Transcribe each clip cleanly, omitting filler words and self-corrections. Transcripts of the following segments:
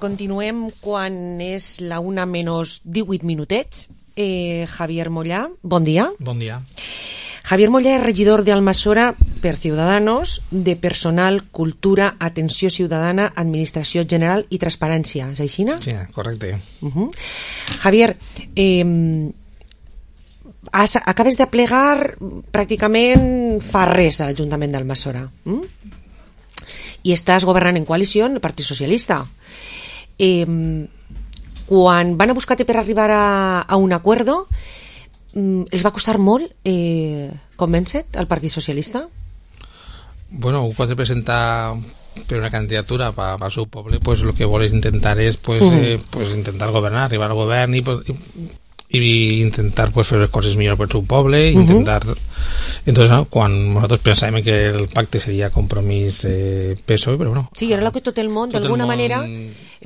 Continuem quan és la 1 menys 18 minutets. Javier Mollà, bon dia. Bon dia. Javier Mollà és regidor d'Almassora per Ciudadanos, de Personal, Cultura, Atenció Ciutadana, Administració General i Transparència. És així, no? Sí, correcte. Javier, acabes de plegar pràcticament fa res a l'Ajuntament d'Almassora. I estàs governant en coalició amb el Partit Socialista. Quan van a buscar-te per arribar a un acuerdo, els va costar molt convèncer-te al Partit Socialista? Bueno, quan se presenta per una candidatura para su poble, pues lo que vols intentar és pues intentar governar, arribar al govern i intentar pues fer les coses millor per el poble, intentar. Entonces, no, quan nosaltres pensàvem que el pacte seria compromís PSOE, però bueno. Sí, era el que tot el món, d'alguna manera,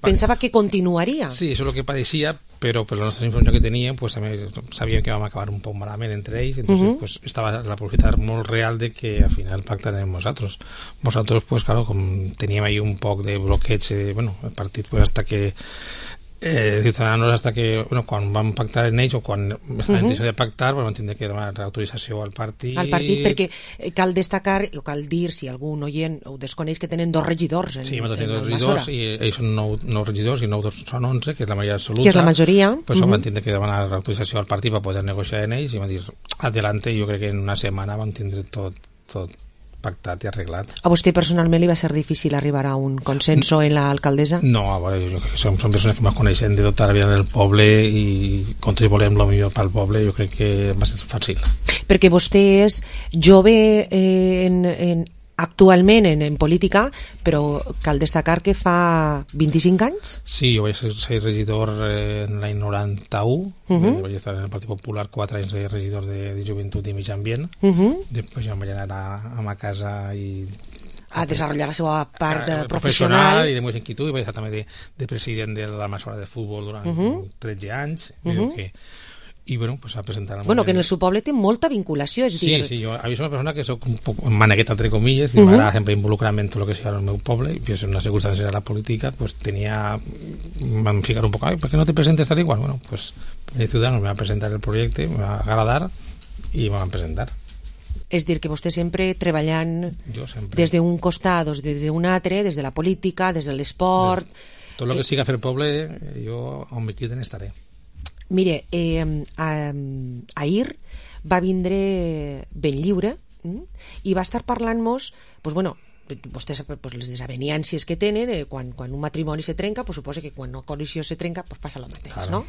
pensava que continuaria. Sí, això és el que pareixia, però per la nostra informació que teníem, pues també sabíem que vam acabar un poc malament entre ells, entonces pues estava la possibilitat molt real de que al final pactarem nosaltres. Nosaltres, pues claro, com teníem ahí un poc de bloqueig, bueno, el partit pues hasta que Ciutadanos hasta que, bueno, quan vam pactar en ells o quan estaven en intenció de pactar, pues vam tindre que demanar autorització al partit. Al partit, perquè cal destacar o cal dir, si algun oient ho desconeix, que tenen 2 regidors en Almassora. Sí, tenim 2 regidors i ells són 9 regidors i 9 són 11, que és la majoria absoluta. Que és la majoria. Pues vam tindre que demanar autorització al partit per poder negociar en ells i vam dir, adelante, jo crec que en una setmana vam tindre tot pactat i arreglat. A vostè personalment li va ser difícil arribar a un consenso en l'alcaldessa? No, jo crec que són persones que ens coneixen de tota la vida del poble i com tots volem el millor pel poble, jo crec que va ser fàcil. Perquè vostè és jove actualment en política, però cal destacar que fa 25 anys? Sí, jo vaig ser regidor en l'any 91, vaig estar en el Partit Popular 4 anys de regidor de Joventut i Mig Ambient, després ja em vaig anar a ma casa i a desenvolupar la seva part professional i de més inquietud, i vaig estar també de president de l'Almassora de Futbol durant 13 anys, i bueno, pues a presentar que en el seu poble té molta vinculació, és dir... Sí, jo soc una persona que soc un poc manegueta, entre comilles, m'agrada sempre involucrar-me en tot el que sigui al meu poble, i en una circumstància de la política, pues vam ficar un poc, ¿per què no te presentes tal igual? Bueno, pues el Ciudadanos me va presentar el projecte, me va agradar, i me van presentar. És dir, que vostè sempre treballant des d'un costat, des d'un altre, des de la política, des de l'esport... Tot el que siga fer poble, jo on me criden estaré. Mire, ahir va vindre Benlliure i va estar parlant-nos, vostè sap les desavenències que tenen, quan un matrimoni se trenca, suposa que quan una coalició se trenca passa el mateix, no?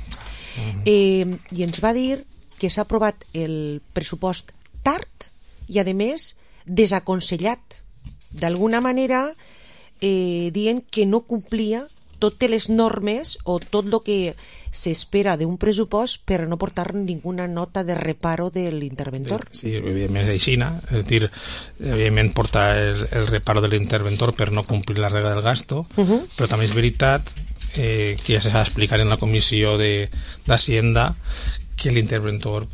I ens va dir que s'ha aprovat el pressupost tard i, a més, desaconsellat, d'alguna manera dient que no complia totes les normes o tot el que s'espera d'un pressupost per no portar ninguna nota de reparo de l'interventor. Sí, evidentment és així, és dir, evidentment portar el reparo de l'interventor per no complir la regla del gasto, però també és veritat que ja s'ha d'explicar en la comissió d'Hacienda que l'interventor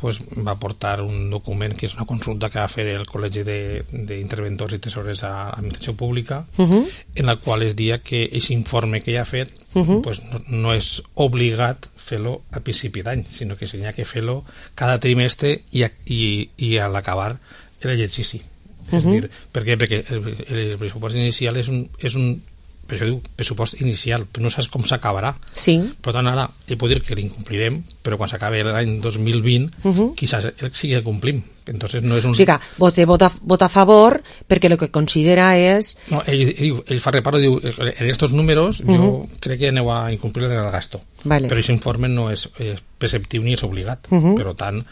va portar un document que és una consulta que va fer el Col·legi d'Interventors i Tesorers a l'Administració Pública, en la qual es dia que aquest informe que ja ha fet no és obligat fer-lo a principi d'any, sinó que s'ha que fer-lo cada trimestre i a l'acabar l'exercici. És dir, per què? Perquè el pressupost inicial és un per això diu pressupost inicial, tu no saps com s'acabarà. Sí. Per tant, ara he pot dir que l'incomplirem, però quan s'acabi l'any 2020 quizás sí que el complim. Entonces no és un... O sigui que vota a favor perquè el que considera és... No, ell fa reparo, diu, en estos números jo crec que aneu a incomplir el gasto. Però aquest informe no és preceptiu ni és obligat. Per tant,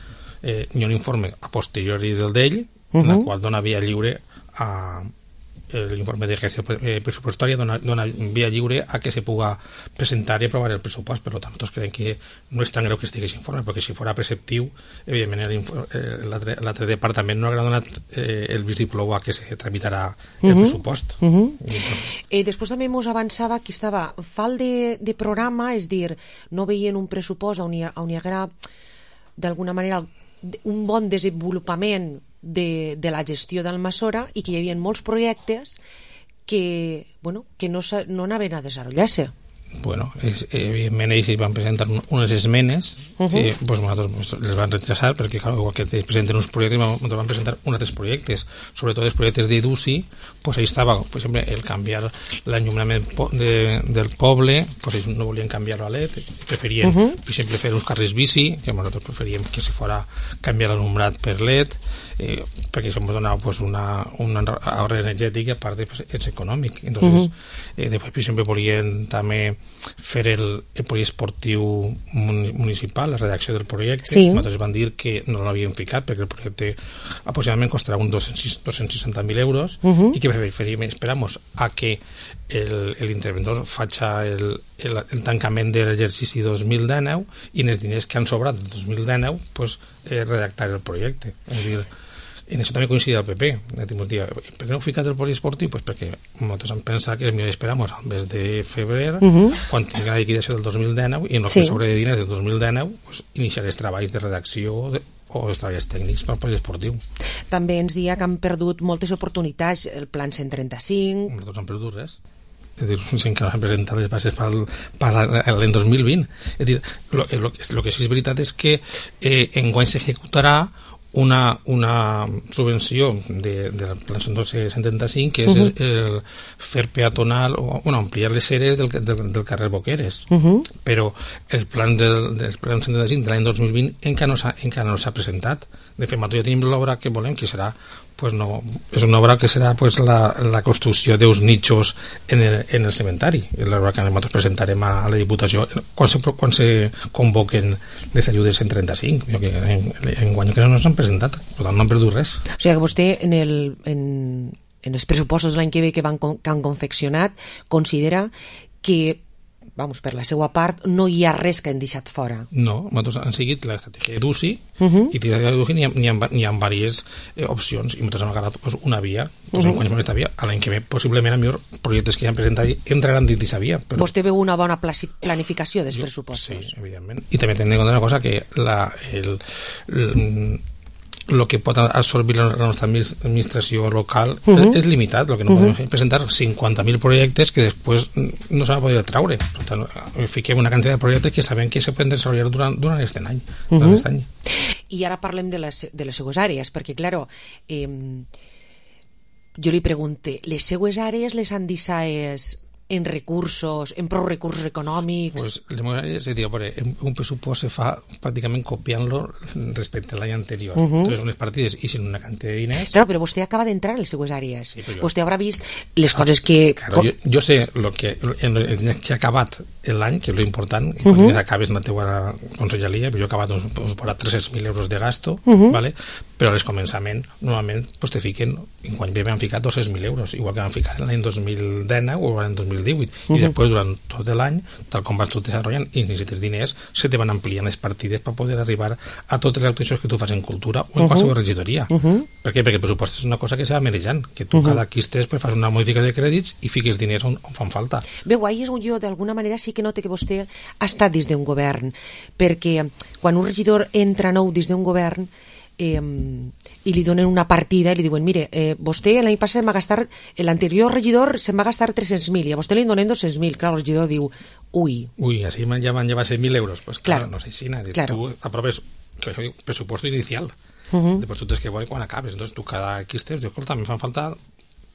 hi ha un informe a posteriori del d'ell, en el qual dona via lliure a... l'informe de gestió pressupostària dona via lliure a que se puga presentar i aprovar el pressupost. Per tant, nosaltres creiem que no és tan greu que estigui aquest informe, perquè si fos preceptiu, evidentment l'altre departament no haurà donat el vistiplau a que se tramitarà el pressupost. Després també ens avançava que estava falt de programa, és dir, no veien un pressupost on hi haguera d'alguna manera un bon desenvolupament de la gestió d'Almassora i que hi havia molts projectes que no anaven a desenvolupar-se. bueno, evidentment ells van presentar unes esmenes, pues nosaltres les van rechazar perquè, clar, igual que presenten uns projectes, nosaltres van presentar uns altres projectes, sobretot els projectes d'EDUSI, pues ahí estava, per exemple, el canviar l'enllumament del poble, pues ells no volien canviar-lo a LED, preferien, per exemple, fer uns carrers bici, que nosaltres preferíem que se fora canviar l'allumbrat per LED, perquè això ens donava pues, un ahorro energètic i a part pues, és econòmic. Entonces, després, per exemple, volien també fer el poliesportiu municipal, la redacció del projecte. Nosaltres van dir que no l'havien ficat perquè el projecte aproximadament costarà uns 260.000 euros i que preferim esperamos a que l'interventor faci el tancament de l'exercici 2019 i en els diners que han sobrat del 2019 pues, redactar el projecte. És a dir, en això també coincide el PP. Per què no heu ficat el poliesportiu? Pues perquè nosaltres hem pensat que és millor esperar al mes de febrer, quan tingui la liquidació del 2019, i en el que sobre de diners del 2019 pues, iniciar els treballs de redacció o els treballs tècnics per al poliesportiu. També ens dia que han perdut moltes oportunitats, el plan 135... Nosaltres han perdut res. És a dir, que no han presentat les bases per l'any 2020. És a dir, el que sí és veritat és que enguany s'executarà una subvenció del plan 175 que és el fer peatonal o ampliar les seres del carrer Boqueres, però el plan del plan 175 de l'any 2020 encara no s'ha presentat. De fet, nosaltres ja tenim l'obra que volem, que serà pues no, és una obra que serà pues, la construcció d'uns nichos en el cementari. És l'obra que nosaltres presentarem a la Diputació quan se convoquen les ajudes en 35, que en guany que no s'han presentat, per tant no han perdut res. O sigui que vostè en els pressupostos de l'any que ve que han confeccionat considera que per la seva part, no hi ha res que han deixat fora. No, nosaltres han seguit l'estratègia d'UCI i d'UCI n'hi ha diverses opcions i nosaltres hem agarrat pues, una via, en quants aquesta via, a l'any que ve possiblement a millor projectes que ja han presentat entraran dins d'aquesta via. Però... Vostè veu una bona planificació dels pressupostos. Sí, evidentment. I també tenim en compte una cosa, que el que pot absorbir la nostra administració local és limitat. El que no podem fer és presentar 50.000 projectes que després no s'han de poder traure. Per tant, fiquem una quantitat de projectes que sabem que se poden desenvolupar durant aquest any. I ara parlem de les seues àrees, perquè, clar, jo li pregunte, les seues àrees les han deixat en recursos, en prou recursos econòmics? Pues, és a dir, un pressupost se fa pràcticament copiant-lo respecte a l'any anterior. Entonces, unes partides i sin una quantitat de diners... Claro, però vostè acaba d'entrar en les seues àrees. Sí, vostè haurà vist les coses que... Claro, jo sé que ha acabat l'any, que és lo important, i quan acabes en la teua conselleria, jo he acabat per 300.000 euros de gasto, ¿vale? Però al començament, normalment, pues, te fiquen, en quan vam ficar 200.000 euros, igual que vam ficar l'any 2019 o l'any 2018, i després durant tot l'any, tal com vas tu desenvolupant i necessites diners, se te van ampliant les partides per poder arribar a totes les actuacions que tu fas en cultura o en qualsevol regidoria. Per què? Perquè el pressupost és una cosa que se va manejant, que tu cada quistes pues, fas una modificació de crèdits i fiques diners on fan falta. Bé, guai, jo d'alguna manera sí que noto que vostè ha estat dins d'un govern, perquè quan un regidor entra nou dins d'un govern i li donen una partida i li diuen, mire, vostè l'any passat va gastar, l'anterior regidor se'n va gastar 300.000 i a vostè li donen 200.000. Clar, el regidor diu, ui, així ja van llevar 100.000 euros. Pues claro, no sé si tu aproves el pressuposto inicial, després tu tens que veure quan acabes. Entonces tu cada quistes, escolta, me fan falta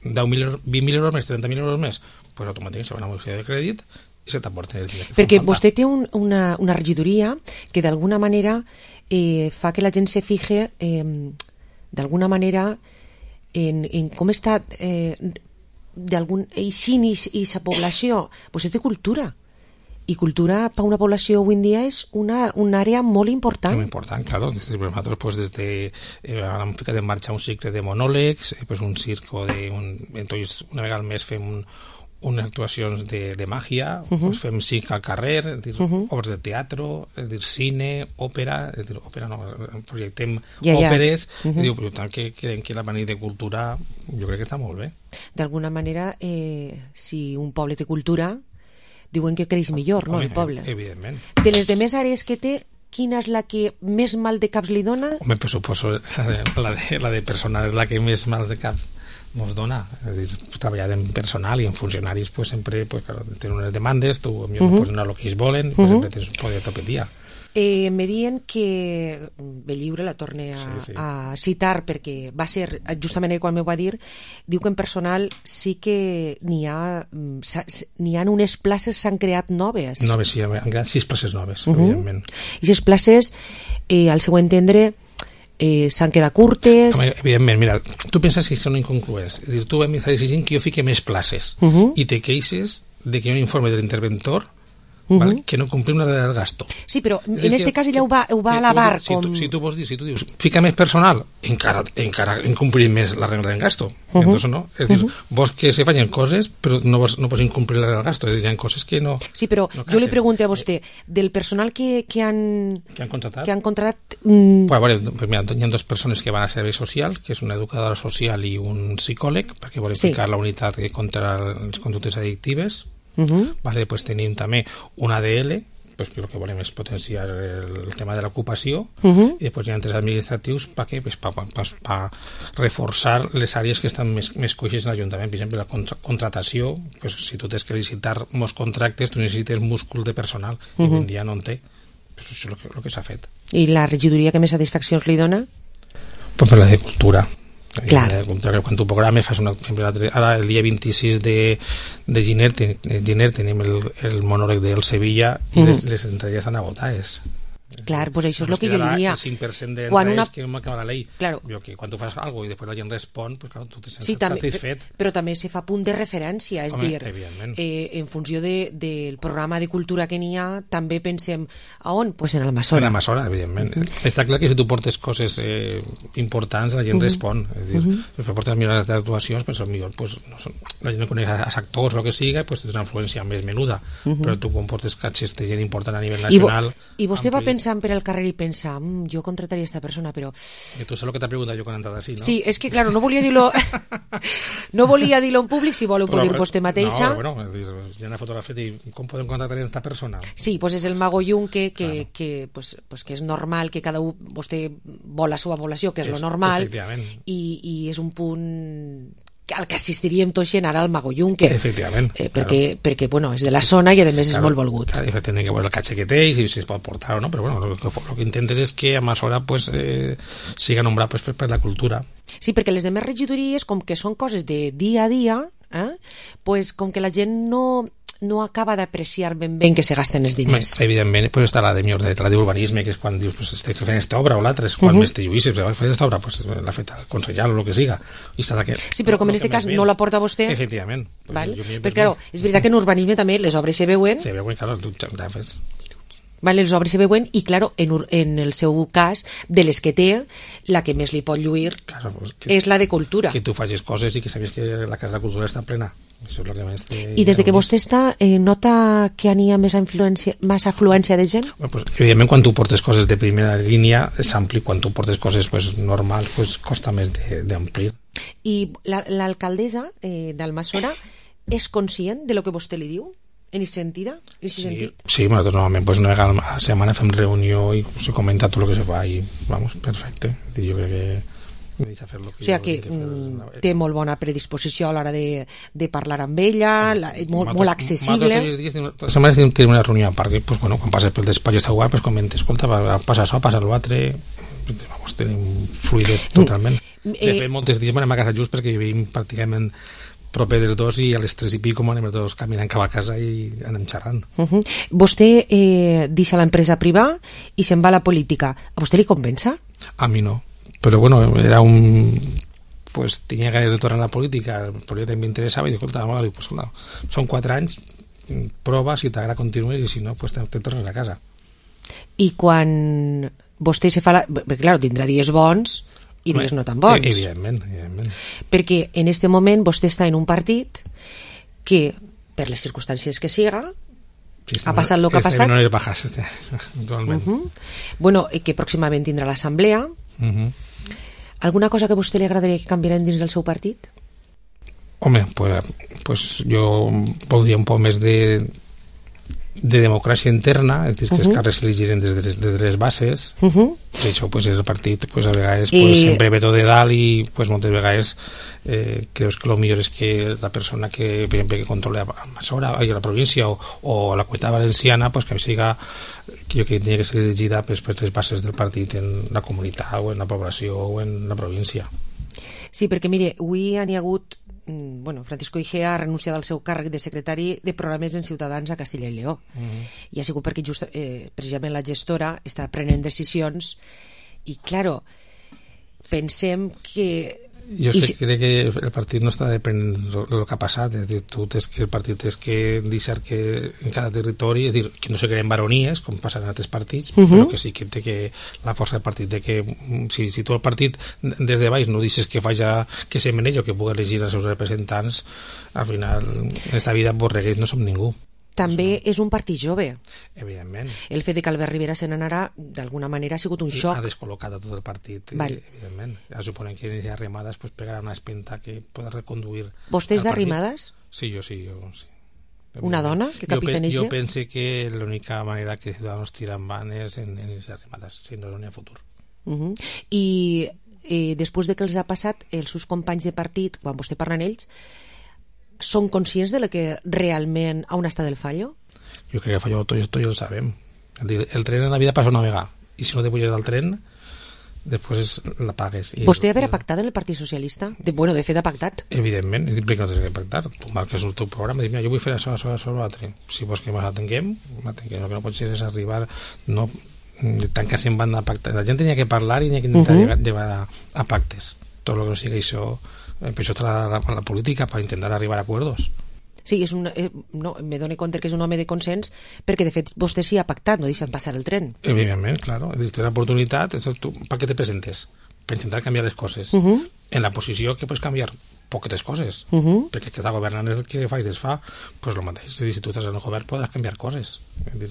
20.000 euros més, 30.000 euros més, pues automàticament se va una modificació de crèdit i se t'aporten els diners que perquè vostè té una regidoria que d'alguna manera fa que la gent se fije d'alguna manera en com està eixint i sa població. Vostè té cultura i cultura per una població avui en dia és una àrea molt important. Molt important, claro. Nosaltres pues, hem ficat en marxa un cicle de monòlegs, pues, un circo entonces una vegada al mes fem unes actuacions de màgia, pues fem circ al carrer, obres de teatre, cine, òpera, projectem òperes, per tant que creiem que la manera de cultura jo crec que està molt bé. D'alguna manera, si un poble té cultura, diuen que creix millor, no, el poble? Evidentment. De les demés àrees que té, quina és la que més mal de caps li dona? Home, per suposo, la de personal és la que més mal de caps mos dona. És a dir, treballar en personal i en funcionaris pues, sempre pues, claro, tenen unes demandes, tu no pots donar el que ells volen, pues, sempre tens un poder tot el dia. Me diuen que Benlliure, la torne a citar perquè va ser justament quan m'ho va dir, diu que en personal sí que n'hi ha unes places s'han creat noves. Noves, sí, han creat 6 places noves, evidentment. I 6 places, al seu entendre, s'han quedat curtes. Home, evidentment, mira, tu penses que són incongruents. És a dir, tu m'estàs exigint que jo fique més places i te queixes de que hi ha un informe de l'interventor ¿vale? Que no complim la regla del gasto. Sí, però en este cas ella ho va alabar com... Si tu dius, fica més personal, encara incomplim més la regla del gasto. Entonces, no? És dir, vos que se fallen coses, però no pots incomplir la regla del gasto. És dir, hi ha coses que no... Sí, però no jo li pregunto a vostè, del personal que han contratat... Bueno, pues mira, hi ha 2 persones que van a serveis socials, que és una educadora social i un psicòleg, perquè volen ficar la unitat contra les conductes addictives. Vale, pues tenim també un ADL, pues que el que volem és potenciar el tema de l'ocupació, i després hi ha 3 administratius per reforçar les àrees que estan més coixes en l'Ajuntament. Per exemple, la contratació, pues, si tu tens que licitar molts contractes, tu necessites múscul de personal, i avui en dia no en té. Pues això és el que s'ha fet. I la regidoria que més satisfaccions li dona? Pues per la de cultura. Clar. Quan tu programes fas ara el dia 26 de gener tenim el monòleg del Sevilla i les entrades estan agotades. Clar, pues això és el que jo diria. El 5% d'entrades que no acaba la llei. Claro. Que quan tu fas alguna cosa i després la gent respon, pues, claro, tu te sents satisfet. Però també se fa punt de referència, és dir, en funció del programa de cultura que n'hi ha, també pensem a on? Pues en Almassora. En Almassora, evidentment. Està clar que si tu portes coses importants, la gent respon. És dir, si portes millors actuacions, pues, pues, la gent no coneix als actors o el que siga, pues, tens una influència més menuda. Però tu quan portes catxes de gent important a nivell nacional... I vostè va pensar per al carrer i pensa, jo contrataria aquesta persona, però... I tu saps el que t'ha preguntat jo quan he entrat així, no? Sí, és que, claro, no volia dir-lo en públic, si vol ho pot dir vostè mateixa. No, bueno, hi ha una fotografia i com podem contratar aquesta persona? Sí, pues és el Mago Junque, que és normal que cada un, vostè vol la seva població, que és lo normal, i és un punt al que assistiríem tot gent ara al Mago Junque. Efectivament. Perquè, bueno, és de la zona i a més és molt volgut. Claro, tenen que veure el catxe que té i si es pot portar o no, però bueno, el que intentes és que a Almassora pues, siga nombrat pues, per la cultura. Sí, perquè les demés regidories, com que són coses de dia a dia, pues, com que la gent no acaba d'apreciar ben que se gasten els diners. Evidentment, pues està la d'urbanisme, que és quan dius, pues, estic fent aquesta obra o l'altra, és quan més te lluïsses, fer aquesta obra, pues, l'ha fet el consellal o el que siga. Sí, però com en aquest cas no la porta vostè... Efectivament. Però, clar, és veritat que en urbanisme també les obres se veuen... Se veuen, clar, tu ja fes... Vale, les obres se veuen i, claro, en el seu cas, de les que té, la que més li pot lluir és la de cultura. Que tu facis coses i que sabies que la Casa de Cultura està plena. Això és el que més I des de que vostè està, nota que n'hi ha més afluència de gent? Pues, evidentment, quan tu portes coses de primera línia és ampli, quan tu portes coses pues, normals pues, costa més d'amplir. I l'alcaldessa d'Almassora és conscient de lo que vostè li diu? En aquest sentit? Sí, nosaltres normalment pues, una vegada a la setmana fem reunió i se comenta tot el que se fa i, vamos, perfecte. Jo crec que o sigui que té molt bona predisposició a l'hora de parlar amb ella, molt accessible. La setmana tenim una reunió a part que pues, bueno, quan passes pel despatx està guai, pues, comentes, escolta, passa això, passa l'altre, vamos, tenim fluidez totalment. De fet, moltes dies anem a casa just perquè vivim pràcticament proper dels dos i a les 3 i pico anem tots caminant cap a casa i anem xerrant. Vostè deixa l'empresa privada i se'n va a la política. A vostè li compensa? A mi no. Però bueno, era pues tenia ganes de tornar a la política, el projecte m'interessava i dic, escolta, pues, no, són 4 anys, prova, si t'agrada continues i si no, pues te tornes a casa. I quan vostè se fa perquè clar, tindrà dies bons i dies no tan bons. Evidentment. Perquè en este moment vostè està en un partit que, per les circumstàncies que siga, ha passat el que ha passat. No les bajas, actualment. Bueno, que pròximament tindrà l'assemblea. Alguna cosa que a vostè li agradaria que canviarem dins del seu partit? Home, pues jo voldria un poc més de de democràcia interna, és dir, que els càrrecs s'elegiren des de les bases, per això pues, el partit pues, a vegades pues, sempre ve tot de dalt i pues, moltes vegades creus que el millor és que la persona que, per exemple, que controla la província o la Comunitat Valenciana pues, que siga, que jo crec que tenia que ser elegida pues, per les bases del partit en la comunitat o en la població o en la província. Sí, perquè mire, avui n'hi ha hagut Francisco Igea ha renunciat al seu càrrec de secretari de programes en Ciutadans a Castella i Lleó i ha sigut perquè precisament la gestora està prenent decisions i claro, pensem que jo crec que el partit no està depenent del que ha passat, és dir, el partit és que deixar que en cada territori, és dir, que no se creen baronies com passa en altres partits, però que sí que té que la força del partit de que si tu el partit des de baix no deixes que que se menegi o que pugui elegir els seus representants, al final en esta vida borreguers no som ningú. També és un partit jove. Evidentment. El fet de que Albert Rivera se n'anarà, d'alguna manera, ha sigut un xoc. Ha descol·locat a tot el partit, evidentment. Suponem que en Arrimadas pues, pegarà una espenta que pot reconduir... Vostè és d'Arrimadas? Sí, jo sí. Una dona que capitaneja? Jo penso que l'única manera que Ciudadanos tira endavant és en les Arrimadas, si no n'hi ha futur. I després de que els ha passat, els seus companys de partit, quan vostè parla amb ells, són conscients de que realment on està el fallo? Jo crec que el fallo tots ja el sabem. El tren en la vida passa una vegada i si no te puges del tren després la pagues. Vostè haver pactat en el Partit Socialista? De fet ha pactat. Evidentment, és dir, que no tens que pactar. Tu marques el teu programa i dius, mira, jo vull fer això, l'altre. Si vols que m'atenguem, el que no pot ser és arribar no tancar-se en banda a pactar. La gent tenia que parlar i tenia que intentar llevar a pactes. Tot el que no sigui això, per això està la política, per intentar arribar a acuerdos. Sí, me dono compte que és un home de consens perquè de fet vostè sí ha pactat, no deixat passar el tren. Evidentment, claro, tens l'oportunitat, per què te presentes? Per intentar canviar les coses. En la posició que pots canviar poquetes coses, perquè que està governant és el que fa i desfà, doncs el mateix. És a dir, si tu estàs en el govern pots canviar coses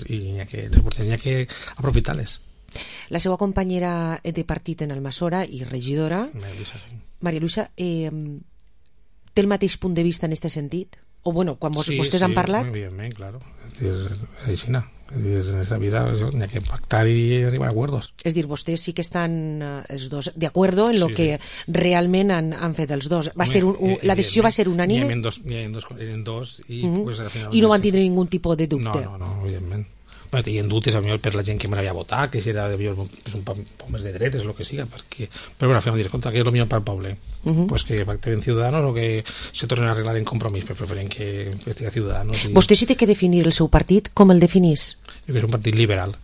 i n'hi ha que aprofitar-les. La seva companyera de partit en Almassora i regidora, Maria Luisa, té el mateix punt de vista en aquest sentit? O quan vostès han parlat? Sí, evidentment, claro. És així, en esta vida n'hi ha que pactar i arribar a acuerdos. És dir, vostès sí que estan els dos de acuerdo en lo que realment han fet els dos. La decisió va ser unànime? Eren dos i al final... I no van tindre ningun tipus de dubte? No, evidentment. Tenien dubtes per la gent que m'havia votat, que si era un poc més de dretes o el que siga, però al final dir, compte, que és el millor per al poble, pues que pacten Ciudadanos o que se tornen a arreglar en Compromís, però preferent que estiga Ciudadanos. Vostè sí té que definir el seu partit, com el definís? Jo crec que és un partit liberal.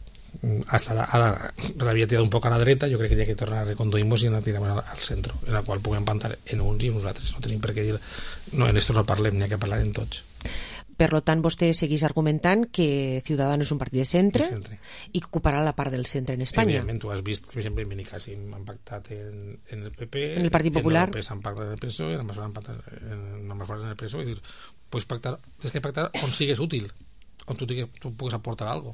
Hasta ara l'havia tirat un poc a la dreta, jo crec que hi ha que tornar a reconduir-nos i anar tirant al centre, en la qual puguem plantar en uns i en nosaltres. No tenim per què dir, no, en esto no parlem, n'hi ha que parlar en tots. Per tant, vostè segueix argumentant que Ciudadanos és un partit de centre i que ocuparà la part del centre en Espanya. Evidentment, tu has vist que, per exemple, en Benicàssim han pactat en el PP, en el Partit Popular, en el PSOE han pactat en el PSOE, en el han pactat en el PSOE, és dir, pots pactar, tens que pactar on sigues útil, on tu pugues aportar algo.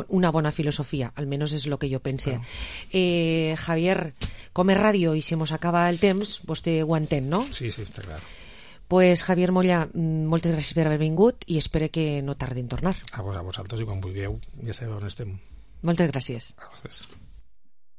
Una bona filosofia, almenys és el que jo pense. Javier, com és ràdio i si mos acaba el temps, vostè ho entén, no? Sí, està clar. Pues Javier Molla, moltes gràcies per haver vingut i espero que no tardi en tornar. A vosaltres i quan vulgueu ja sabeu on estem. Moltes gràcies. A vosaltres.